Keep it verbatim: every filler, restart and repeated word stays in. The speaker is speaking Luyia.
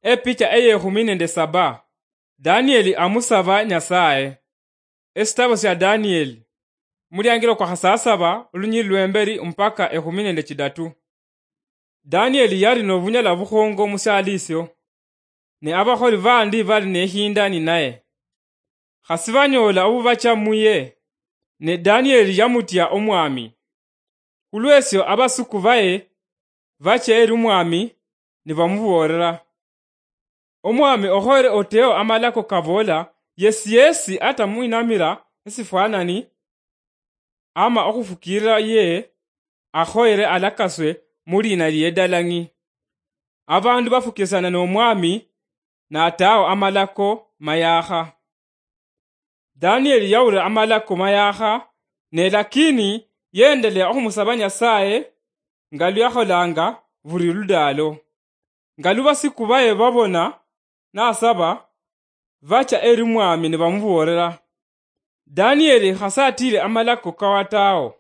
Epicha eyekhumi nende saba. Danieli amusaba Nyasaye. Esitabo sya Danieli, muliangilo kwa khasasaba, olunyili lwemberi mpaka ekhumi nende chidatu. Danieli yali nobunyala bukhongo musialisio, ne abakholi bandi bali nehinda ninaye. Khasi banyoola obubacha muye, ne Danieli yamutia omwami. Khulwesio abasuku baye bacha eri omwami, nibamuboolera, "Omwami okhoyere oteo amalako kaboola, yesi yesi atamwinamira esifwanani ama okhufukiirira ye, akhoyere alakaswe muliina liedalang'i." Abandu bafukisana nomwami, nataao amalako mayaakha. Danieli yawulira amalako mayaakha, ne lakini yendelea okhumusaba Nyasaye nga luyakholanga buli ludaalo. Nga lubasiku baye babona nasaba, bacha eri mwami nibamuboolera, "Danieli khasatire amalako kawataao,